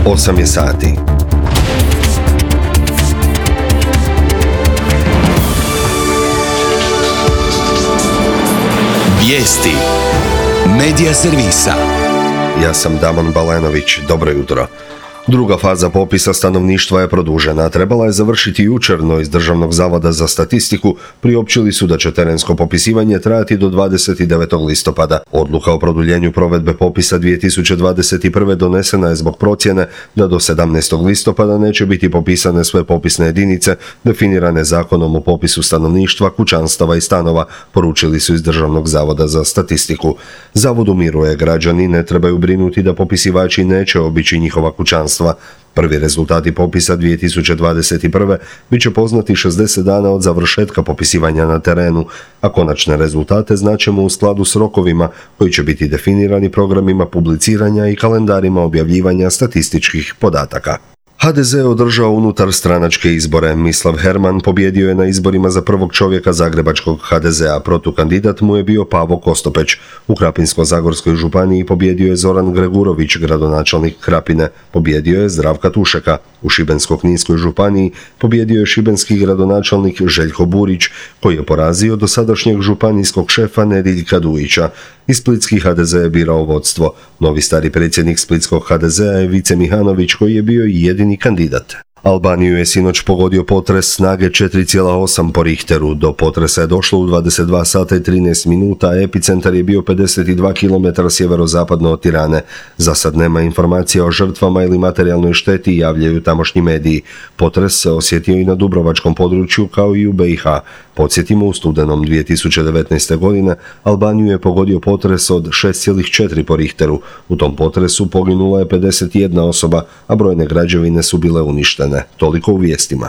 8 je sati. Vijesti Medija servisa. Ja sam Damon Balenović, dobro jutro. Druga faza popisa stanovništva je produžena. Trebala je završiti jučer, no iz Državnog zavoda za statistiku priopćili su da će terensko popisivanje trajati do 29. listopada. Odluka o produljenju provedbe popisa 2021. donesena je zbog procjene da do 17. listopada neće biti popisane sve popisne jedinice definirane Zakonom o popisu stanovništva, kućanstava i stanova, poručili su iz Državnog zavoda za statistiku. Zavod umiruje, građani ne trebaju brinuti da popisivači neće obići njihova kućanstva. Prvi rezultati popisa 2021. bit će poznati 60 dana od završetka popisivanja na terenu, a konačne rezultate znaćemo u skladu s rokovima koji će biti definirani programima publiciranja i kalendarima objavljivanja statističkih podataka. HDZ je održao unutar stranačke izbore. Mislav Herman pobjedio je na izborima za prvog čovjeka zagrebačkog HDZ-a. Protukandidat mu je bio Pavo Kostopeć. U Krapinsko-zagorskoj županiji pobjedio je Zoran Gregurović, gradonačelnik Krapine. Pobjedio je Zdravka Tušeka. U Šibensko-kninskoj županiji pobjedio je šibenski gradonačelnik Željko Burić, koji je porazio dosadašnjeg županijskog šefa Nediljka Dujića. I splitski HDZ je birao vodstvo. Novi stari predsjednik splitskog HDZ-a je Vice Mihanović, koji je bio i jedini kandidat. Albaniju je sinoć pogodio potres snage 4,8 po Richteru. Do potresa je došlo u 22 sata i 13 minuta, a epicentar je bio 52 km sjeverozapadno od Tirane. Za sad nema informacija o žrtvama ili materijalnoj šteti, javljaju tamošnji mediji. Potres se osjetio i na dubrovačkom području kao i u BiH. Podsjetimo, u studenom 2019. godine Albaniju je pogodio potres od 6,4 po Richteru. U tom potresu poginula je 51 osoba, a brojne građevine su bile uništene. Toliko u vijestima.